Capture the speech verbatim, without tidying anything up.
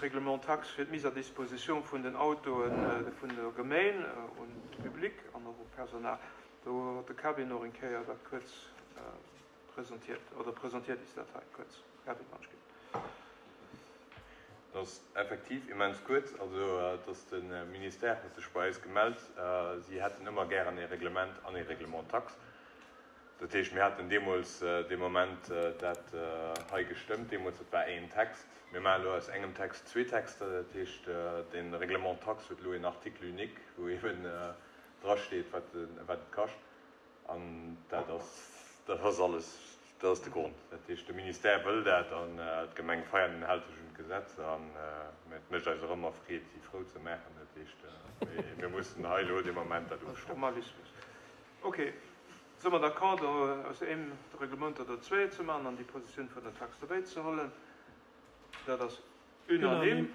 Règlement taxe fir d'Mise à disposition vun den Autoe vun der Gemeng un de Public an och u Personal. Do huet de Kevin och eng Kéier dat kuerz presentiert, oder presentiert is dat hei kuerz. Kevin, wann ech ginn. Dat ass effektiv immens kuerz. Also et ass de Ministère huet sech bei eis gemellt, si hätten ëmmer gären ee Reglement an ee Règlement taxe. Dat heescht, mir haten deemools dee Moment dat hei gestëmmt, deemools, dat war een Text. Mir maachen elo aus engem Text zwee Texter. Dat heescht, de Règlement taxe huet elo een Article unique, wou eeben drasteet, wat wat et kascht. An dat ass, dat ass alles, dat ass de Grond. Dat heescht, de Ministère wëll dat an d'Gemeng Veianen hält sech un d'Gesetz. An et mécht eis och ëmmer Freed, si frou ze maachen. Dat heescht, mir mussen hei elo dee Moment dat ofstëmmen. Formalismus. Okay. Si mer d'accord, do aus eem Reglement der zwee ze maachen an déi Positioun vun der Tax dobäi ze huelen? Dat ass unanime.